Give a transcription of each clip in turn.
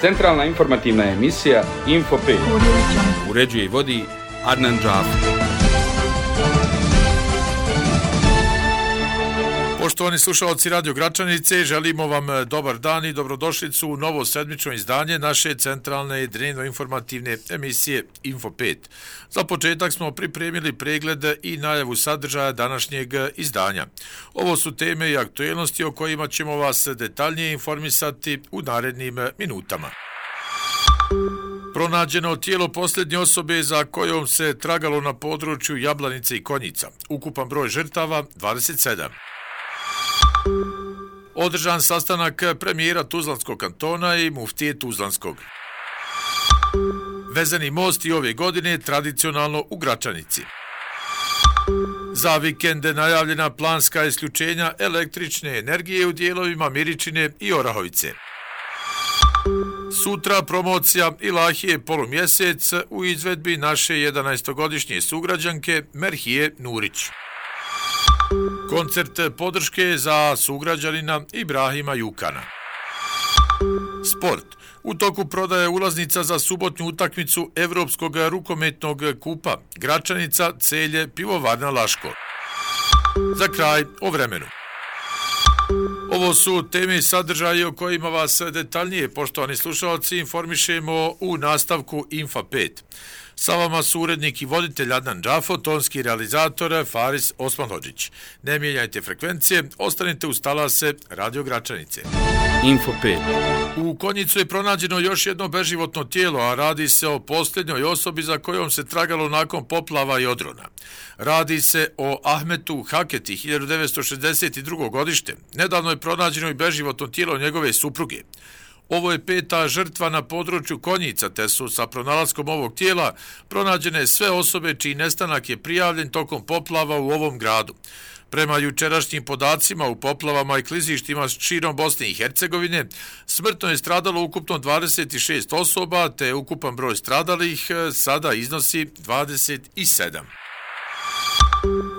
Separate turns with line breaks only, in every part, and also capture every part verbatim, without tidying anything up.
Centralna informativna emisija Info pet. Uređuje i vodi Adnan Džafer.
Poštovani slušalci Radio Gračanice, želimo vam dobar dan i dobrodošlicu u novo sedmično izdanje naše centralne dnevno-informativne emisije Info pet. Za početak smo pripremili pregled i najavu sadržaja današnjeg izdanja. Ovo su teme i aktuelnosti o kojima ćemo vas detaljnije informisati u narednim minutama. Pronađeno tijelo posljednje osobe za kojom se tragalo na području Jablanice i Konjica. Ukupan broj žrtava dvadeset sedam. Održan sastanak premijera Tuzlanskog kantona i muftije Tuzlanskog. Vezani most i ove godine tradicionalno u Gračanici. Za vikende najavljena planska isključenja električne energije u dijelovima Miričine i Orahovice. Sutra promocija Ilahije polumjesec u izvedbi naše jedanaestogodišnje sugrađanke Merhije Nurić. Koncert podrške za sugrađanina Ibrahima Jukana. Sport. U toku prodaje ulaznica za subotnju utakmicu Evropskog rukometnog kupa Gračanica, Celje, Pivovarna Laško. Za kraj o vremenu. Ovo su teme i sadržaje o kojima vas detaljnije, poštovani slušalci, informišemo u nastavku Info pet. Sa vama su urednik i voditelj Adnan Džafo, tonski realizator Faris Osmanhodžić. Ne mijenjajte frekvencije, ostanite uz talase Radio Gračanice.
Info pet.
U Konjicu je pronađeno još jedno beživotno tijelo, a radi se o posljednjoj osobi za kojom se tragalo nakon poplava i odrona. Radi se o Ahmetu Haketi, hiljadu devetsto šezdeset drugo godište. Nedavno je pronađeno i beživotno tijelo njegove supruge. Ovo je peta žrtva na području Konjica, te su sa pronalaskom ovog tijela pronađene sve osobe čiji nestanak je prijavljen tokom poplava u ovom gradu. Prema jučerašnjim podacima u poplavama i klizištima širom Bosne i Hercegovine, smrtno je stradalo ukupno dvadeset šest osoba, te ukupan broj stradalih sada iznosi dvadeset sedam.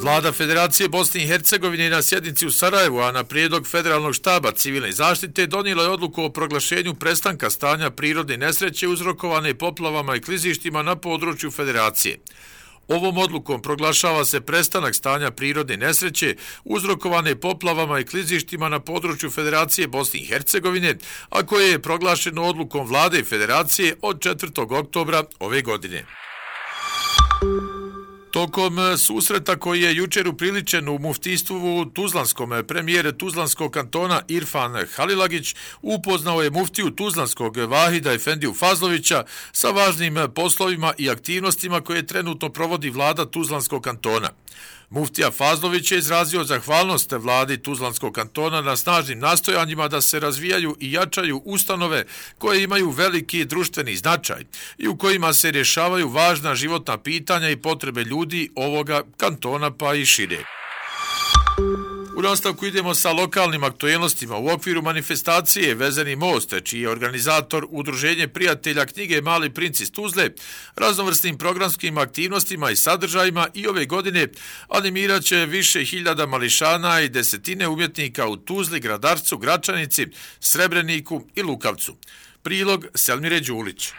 Vlada Federacije Bosne i Hercegovine na sjednici u Sarajevu, a na prijedlog Federalnog štaba civilne zaštite, donijela je odluku o proglašenju prestanka stanja prirodne nesreće uzrokovane poplavama i klizištima na području Federacije. Ovom odlukom proglašava se prestanak stanja prirodne nesreće uzrokovane poplavama i klizištima na području Federacije Bosne i Hercegovine, a koje je proglašeno odlukom Vlade Federacije od četvrtog oktobra ove godine. Tokom susreta koji je jučer upriličen u muftijstvu Tuzlanskom, premijer Tuzlanskog kantona Irfan Halilagić upoznao je muftiju Tuzlanskog Vahida Efendiju Fazlovića sa važnim poslovima i aktivnostima koje trenutno provodi vlada Tuzlanskog kantona. Muftija Fazlović je izrazio zahvalnost vladi Tuzlanskog kantona na snažnim nastojanjima da se razvijaju i jačaju ustanove koje imaju veliki društveni značaj i u kojima se rješavaju važna životna pitanja i potrebe ljudi ovoga kantona pa i šire. U nastavku idemo sa lokalnim aktuelnostima. U okviru manifestacije Vezani most, čiji je organizator Udruženje prijatelja knjige Mali princ iz Tuzle, raznovrsnim programskim aktivnostima i sadržajima i ove godine animirat će više hiljada mališana i desetine umjetnika u Tuzli, Gradarcu, Gračanici, Srebreniku i Lukavcu. Prilog Selmire Đulić.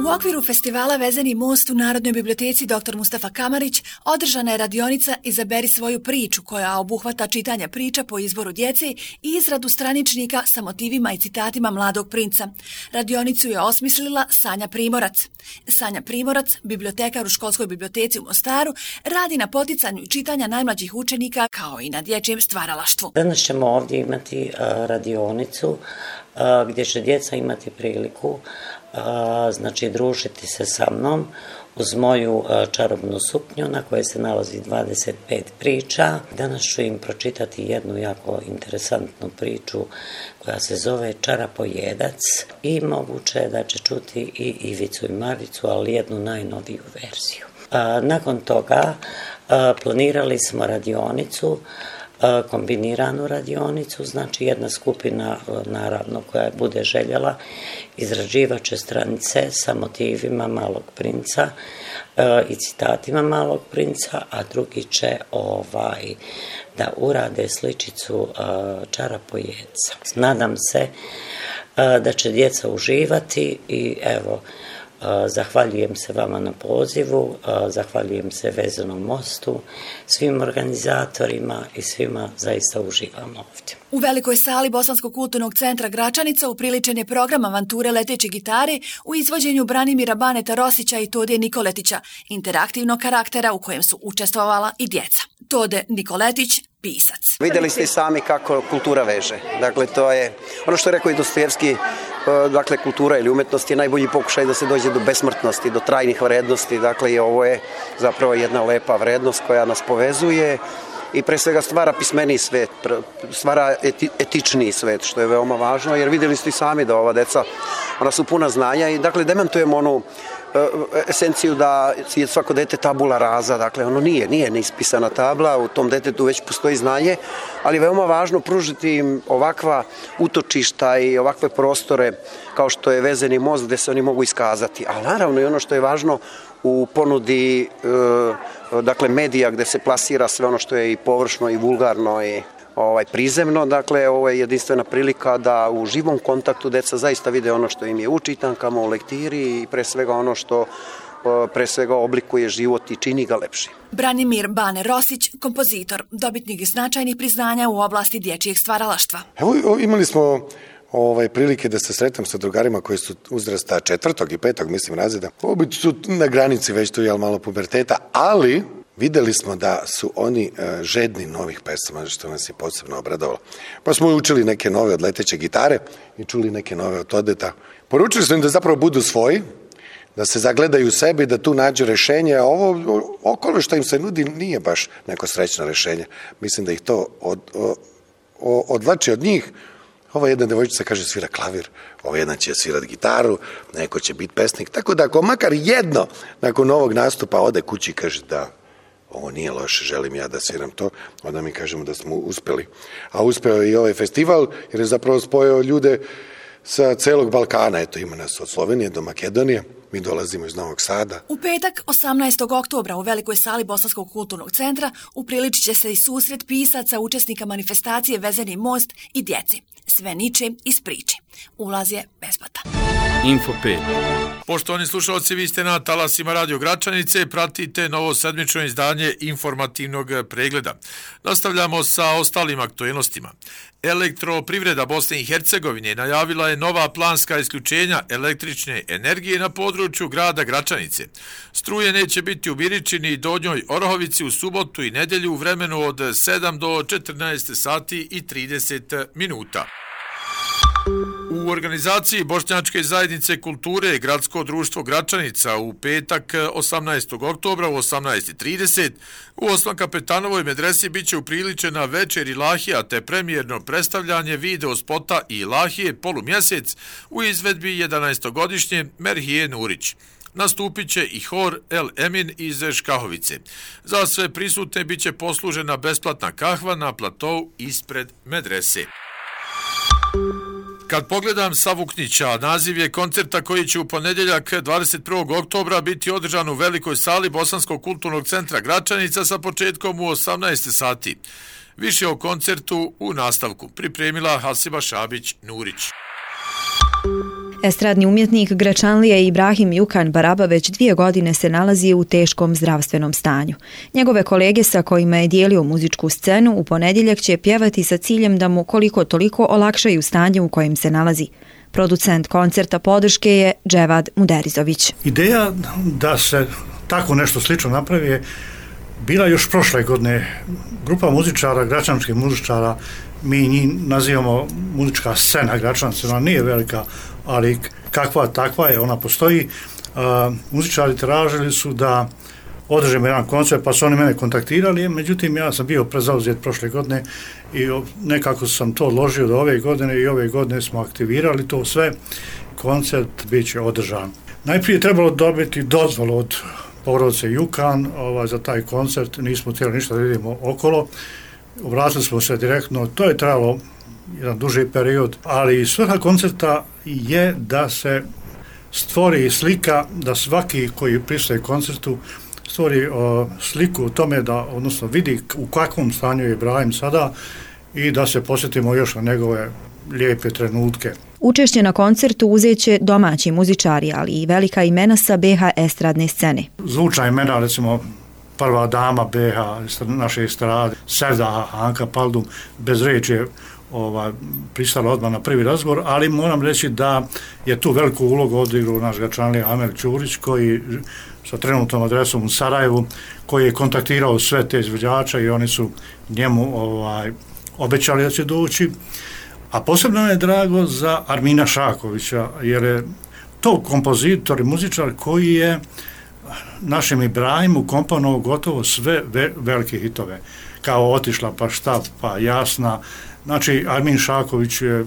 U okviru festivala Vezani most u Narodnoj biblioteci doktor Mustafa Kamarić održana je radionica Izaberi svoju priču, koja obuhvata čitanje priča po izboru djece i izradu straničnika sa motivima i citatima Mladog princa. Radionicu je osmislila Sanja Primorac. Sanja Primorac, bibliotekar u školskoj biblioteci u Mostaru, radi na poticanju čitanja najmlađih učenika kao i na dječjem stvaralaštvu.
Danas ćemo ovdje imati uh, radionicu uh, gdje će djeca imati priliku A, znači družiti se sa mnom uz moju a, čarobnu suknju na kojoj se nalazi dvadeset pet priča. Danas ću im pročitati jednu jako interesantnu priču koja se zove Čarapojedac i moguće je da će čuti i Ivicu i Maricu, ali jednu najnoviju verziju. A, nakon toga a, planirali smo radionicu, kombiniranu radionicu, znači jedna skupina, naravno, koja bude željela, izrađivat će stranice sa motivima Malog princa e, i citatima Malog princa, a drugi će ovaj, da urade sličicu e, Čarapojedca. Nadam se da će djeca uživati i evo, zahvaljujem se vama na pozivu, zahvaljujem se Vezenom mostu, svim organizatorima i svima zaista uživamo ovdje.
U velikoj sali Bosanskog kulturnog centra Gračanica upriličen je program Avanture leteće gitare u izvođenju Branimira Baneta Rosića i Tode Nikoletića, interaktivnog karaktera u kojem su učestvovala i djeca. Tode Nikoletić, pisac.
Vidjeli ste i sami kako kultura veže. Dakle, to je ono što je rekao i Dostojevski, dakle, kultura ili umetnost je najbolji pokušaj da se dođe do besmrtnosti, do trajnih vrednosti. Dakle, i ovo je zapravo jedna lepa vrednost koja nas povezuje i pre svega stvara pismeniji svet, stvara eti, etičniji svet, što je veoma važno, jer vidjeli ste i sami da ova deca, ona su puna znanja i dakle dementujemo onu esenciju da je svako dete tabula rasa, dakle ono nije, nije neispisana tabla, u tom detetu već postoji znanje, ali veoma važno pružiti im ovakva utočišta i ovakve prostore kao što je Vezeni most gde se oni mogu iskazati, ali naravno i ono što je važno u ponudi dakle medija gde se plasira sve ono što je i površno i vulgarno i ovaj prizemno, dakle ovo je jedinstvena prilika da u živom kontaktu deca zaista vide ono što im je u čitankama, u lektiri i pre svega ono što pre svega oblikuje život i čini ga lepši.
Branimir Bane Rosić, kompozitor, dobitnik značajnih priznanja u oblasti dječjeg stvaralaštva.
Evo imali smo Ovaj, prilike da se sretam sa drugarima koji su uzrasta četvrtog i petog, mislim, razreda. Obi su na granici već tu, jel, malo puberteta, ali videli smo da su oni uh, žedni novih pesama, što nas je posebno obradovalo. Pa smo učili neke nove od leteće gitare i čuli neke nove od Todeta. Poručili smo im da zapravo budu svoji, da se zagledaju u sebi i da tu nađu rešenje, a ovo okolo što im se nudi nije baš neko srećno rešenje. Mislim da ih to od, od, odvlači od njih. Ova jedna devojčica kaže svira klavir, ova jedna će svirati gitaru, neko će biti pesnik. Tako da ako makar jedno nakon ovog nastupa ode kući i kaže da ovo nije loše, želim ja da sviram to, onda mi kažemo da smo uspeli. A uspeo je i ovaj festival jer je zapravo spojio ljude sa celog Balkana. Eto, ima nas od Slovenije do Makedonije. Mi dolazimo iz Novog Sada.
U petak, osamnaestog oktobra, u velikoj sali Bosanskog kulturnog centra upriličit će se i susret pisaca, učesnika manifestacije Vezeni most i djeci. Sve niče iz priče. Ulaz je besplatan.
Info pet.
Poštovani slušalci, vi ste na talasima Radio Gračanice, pratite novo sedmično izdanje informativnog pregleda. Nastavljamo sa ostalim aktuelnostima. Elektroprivreda Bosne i Hercegovine najavila je nova planska isključenja električne energije na području grada Gračanice. Struje neće biti u Biričini i Donjoj Orahovici u subotu i nedjelju u vremenu od sedam do četrnaest sati i trideset minuta. U organizaciji Bošnjačke zajednice kulture Gradsko društvo Gračanica u petak osamnaestog oktobra u osamnaest i trideset u Osman Kapetanovoj medresi biće upriličena večer ilahija te premijerno predstavljanje video spota ilahije Polumjesec u izvedbi jedanaestogodišnje Merhije Nurić. Nastupit će i hor El Emin iz Škahovice. Za sve prisutne biće poslužena besplatna kahva na platou ispred medrese. Kad pogledam Savuknića, naziv je koncerta koji će u ponedjeljak dvadeset prvog oktobra biti održan u velikoj sali Bosanskog kulturnog centra Gračanica sa početkom u osamnaest sati. Više o koncertu u nastavku pripremila Hasiba Šabić-Nurić.
Estradni umjetnik Gračanlija Ibrahim Jukan Baraba već dvije godine se nalazi u teškom zdravstvenom stanju. Njegove kolege sa kojima je dijelio muzičku scenu u ponedjeljak će pjevati sa ciljem da mu koliko toliko olakšaju stanje u kojem se nalazi. Producent koncerta podrške je Dževad Muderizović.
Ideja da se tako nešto slično napravi je bila još prošle godine. Grupa muzičara, gračanskih muzičara, mi njih nazivamo muzička scena Gračanca, ona nije velika, ali kakva takva je, ona postoji. Uh, muzičari tražili su da održimo jedan koncert, pa su oni mene kontaktirali, međutim ja sam bio prezauzet prošle godine i nekako sam to odložio do ove godine i ove godine smo aktivirali to sve. Koncert bit će održan. Najprije je trebalo dobiti dozvolu od porodice Jukan ovaj, za taj koncert, nismo htjeli ništa da vidimo okolo. Obratili smo se direktno, to je trajalo jedan duži period, ali svrha koncerta je da se stvori slika, da svaki koji pristaje koncertu stvori o, sliku o tome da, odnosno vidi u kakvom stanju je Ibrahim sada i da se posjetimo još na njegove lijepe trenutke.
Učešće na koncertu uzet će domaći muzičari, ali i velika imena sa be ha estradne scene.
Zvučna imena, recimo prva dama be ha, naše estrade, Sevda, Anka Paldum, bez reči je ovaj, pristala odmah na prvi razgovor, ali moram reći da je tu veliku ulogu odigrao naš Gračanlija Amel Ćurić, koji sa trenutnom adresom u Sarajevu, koji je kontaktirao sve te izvođača i oni su njemu ovaj, obećali da će doći. A posebno je drago za Armina Šakovića, jer je to kompozitor i muzičar koji je našem Ibrahimu komponovao gotovo sve ve, velike hitove, kao Otišla, pa šta, pa Jasna. Znači, Armin Šaković je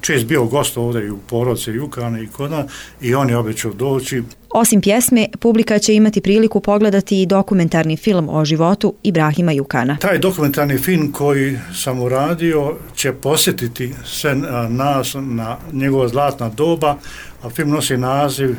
čest bio gost ovdje i u Porodce, Jukane i Koda, i on je obećao doći.
Osim pjesme, publika će imati priliku pogledati i dokumentarni film o životu Ibrahima Jukana.
Taj dokumentarni film koji sam uradio će posjetiti sve nas na njegova zlatna doba, a film nosi naziv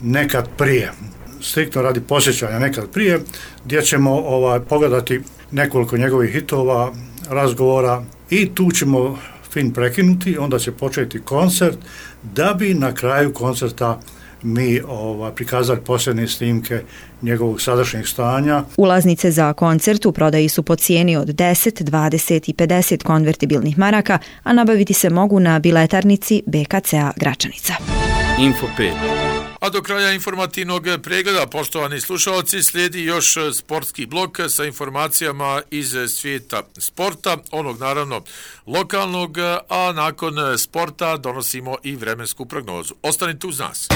Nekad prije. Striktno radi posjećanja Nekad prije, gdje ćemo ovaj, pogledati nekoliko njegovih hitova, razgovora, i tu ćemo film prekinuti, onda će početi koncert, da bi na kraju koncerta mi ovaj, prikazali posljednje snimke njegovog sadašnjeg stanja.
Ulaznice za koncert u prodaji su po cijeni od deset, dvadeset i pedeset konvertibilnih maraka, a nabaviti se mogu na biletarnici be ka ce a Gračanica.
Info pet.
A do kraja informativnog pregleda, poštovani slušalci, slijedi još sportski blok sa informacijama iz svijeta sporta, onog naravno lokalnog, a nakon sporta donosimo i vremensku prognozu. Ostanite uz nas.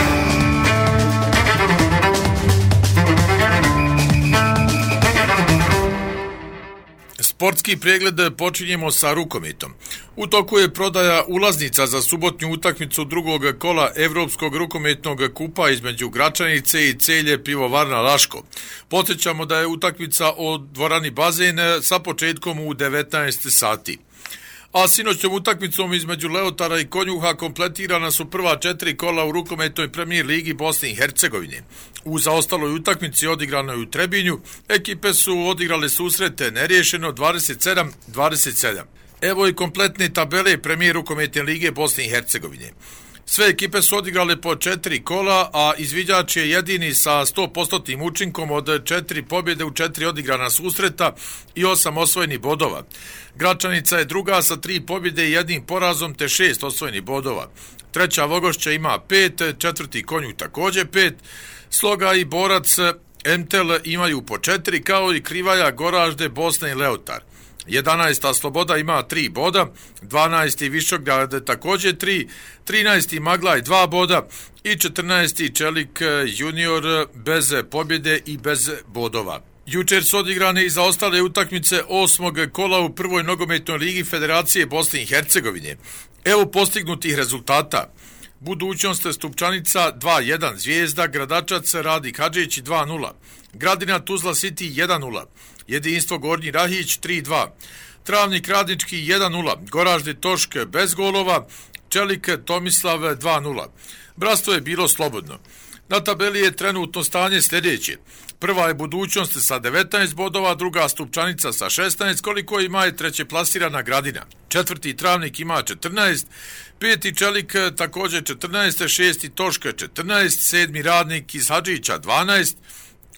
Sportski pregled počinjemo sa rukometom. U toku je prodaja ulaznica za subotnju utakmicu drugog kola Evropskog rukometnog kupa između Gračanice i Celje Pivovarna Laško. Podsjećamo da je utakmica o dvorani Bazen sa početkom u devetnaest sati. A sinoćnom utakmicom između Leotara i Konjuha kompletirana su prva četiri kola u rukometnoj premijer ligi Bosne i Hercegovine. U zaostaloj utakmici odigranoj u Trebinju ekipe su odigrale susrete neriješeno dvadeset sedam dvadeset sedam. Evo i kompletne tabele premijer rukometne lige Bosne i Hercegovine. Sve ekipe su odigrale po četiri kola, a izviđač je jedini sa sto posto učinkom od četiri pobjede u četiri odigrana susreta i osam osvojenih bodova. Gračanica je druga sa tri pobjede i jednim porazom te šest osvojenih bodova. Treća Vogošća ima pet, četvrti Konjuh također pet, Sloga i Borac Emtel imaju po četiri, kao i Krivaja, Goražde, Bosna i Leotar. jedanaesta Sloboda ima tri boda, dvanaesti Višograd također tri, trinaesti Maglaj dva boda i četrnaesti Čelik junior bez pobjede i bez bodova. Jučer su odigrane i zaostale utakmice osmog kola u prvoj nogometnoj ligi Federacije Bosne i Hercegovine. Evo postignutih rezultata. Budućnost Stupčanica dva jedan, Zvijezda, Gradačac, Radik Hadžić dva nula, Gradina Tuzla City jedan nula, Jedinstvo Gornji Rahić tri dva, Travnik Radnički jedan nula, Goražde Tošk bez golova, Čelik Tomislav dva nula. Bratstvo je bilo slobodno. Na tabeli je trenutno stanje sljedeće. Prva je Budućnost sa devetnaest bodova, druga Stupčanica sa šesnaest, koliko ima je treće plasirana Gradina. Četvrti Travnik ima četrnaest, peti Čelik također četrnaest, šesti Toška četrnaest, sedmi Radnik iz Hadžića dvanaest,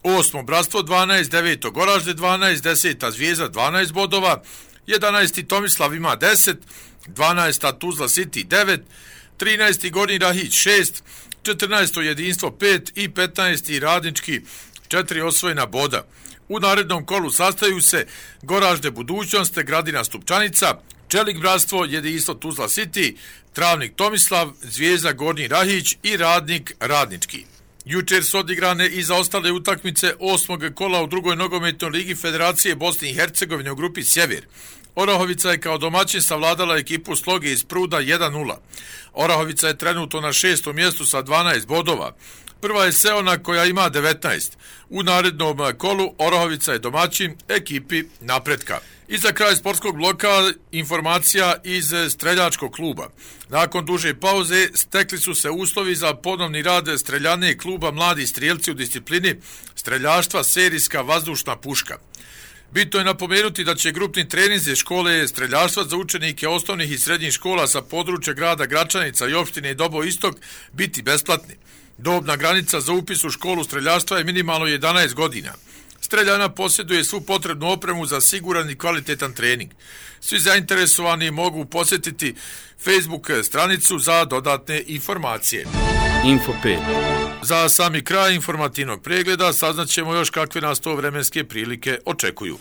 osmo Bratstvo dvanaest, deveto Goražde dvanaest, deseta Zvijezda dvanaest bodova, jedanaesti Tomislav ima deset, dvanaesta Tuzla City devet, trinaesti Gornji Rahić šest, četrnaesto Jedinstvo pet i petnaesti Radnički četiri osvojena boda. U narednom kolu sastaju se Goražde Budućnost, Gradina Stupčanica, Čelik Bratstvo, Jedinstvo Tuzla City, Travnik Tomislav, Zvijezda Gornji Rahić i Radnik Radnički. Jučer su odigrane i zaostale utakmice osmog kola u drugoj nogometnoj ligi Federacije Bosne i Hercegovine u grupi Sjever. Orahovica je kao domaćin savladala ekipu Sloge iz Pruda jedan nula. Orahovica je trenutno na šestom mjestu sa dvanaest bodova. Prva je Seona koja ima devetnaest. U narednom kolu Orahovica je domaćin ekipi Napretka. I za kraj sportskog bloka informacija iz streljačkog kluba. Nakon duže pauze stekli su se uslovi za ponovni rad streljane kluba Mladi strijelci u disciplini streljaštva serijska vazdušna puška. Bitno je napomenuti da će grupni treninzi škole streljarstva za učenike osnovnih i srednjih škola sa područja grada Gračanica i opštine Dobo Istok biti besplatni. Dobna granica za upis u školu streljarstva je minimalno jedanaest godina. Streljana posjeduje svu potrebnu opremu za siguran i kvalitetan trening. Svi zainteresovani mogu posjetiti Facebook stranicu za dodatne informacije.
Info pet.
Za sami kraj informativnog pregleda saznaćemo još kakve nas to vremenske prilike očekuju.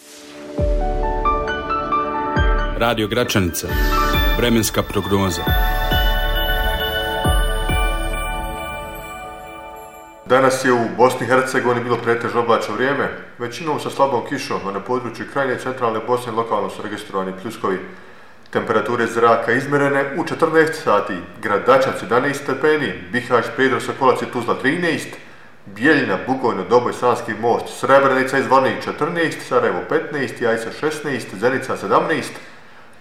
Radio Gračanica. Vremenska prognoza.
Danas je u Bosni i Hercegovini bilo pretežno oblačno vrijeme, većinom sa slabom kišom, a na području krajnje i centralne Bosne lokalno su registrovani pljuskovi. Temperature zraka izmjerene u četrnaest sati, Grad Dačac jedanaest stepeni, Bihać, Prijedor, Sokolac i Tuzla trinaest, Bijeljina, Bugojno, Doboj, Sanski most, Srebrenica i Zvornik četrnaest, Sarajevo petnaest, Jajce šesnaest, Zenica sedamnaest,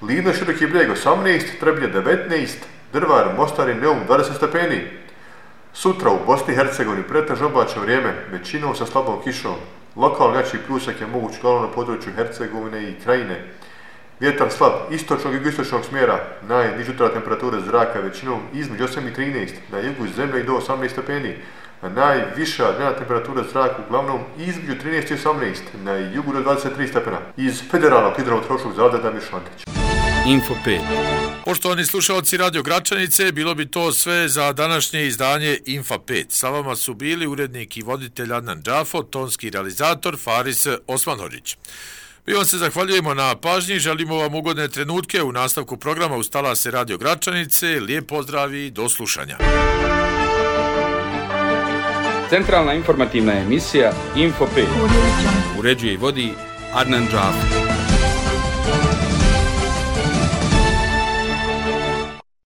Livno, Široki Brijeg osamnaest, Trebnje devetnaest, Drvar, Mostar i Neum dvadeset stepeni. Sutra u Bosni i Hercegovini pretežno oblačno vrijeme, većinom sa slabom kišom. Lokalno jači pljusak je moguć uglavnom na području Hercegovine i Krajine. Vjetar slab istočnog i jugoistočnog smjera, najniža jutarnja temperatura zraka većinom između osam i trinaest, na jugu zemlje i do osamnaest stepeni, a najviša dnevna temperatura zraka uglavnom između trinaest i osamnaest, na jugu do dvadeset tri stepena. Iz Federalnog hidrometeorološkog zavoda Damir Šantić.
Info pet.
Poštovani slušalci Radio Gračanice, bilo bi to sve za današnje izdanje Info pet. Sa vama su bili urednik i voditelj Adnan Džafo, tonski realizator Faris Osmanhođić. Mi vam se zahvaljujemo na pažnji, želimo vam ugodne trenutke u nastavku programa uz talase Radio Gračanice. Lijep pozdrav i do slušanja.
Centralna informativna emisija Info pet. Uređuje i vodi Adnan Džafo.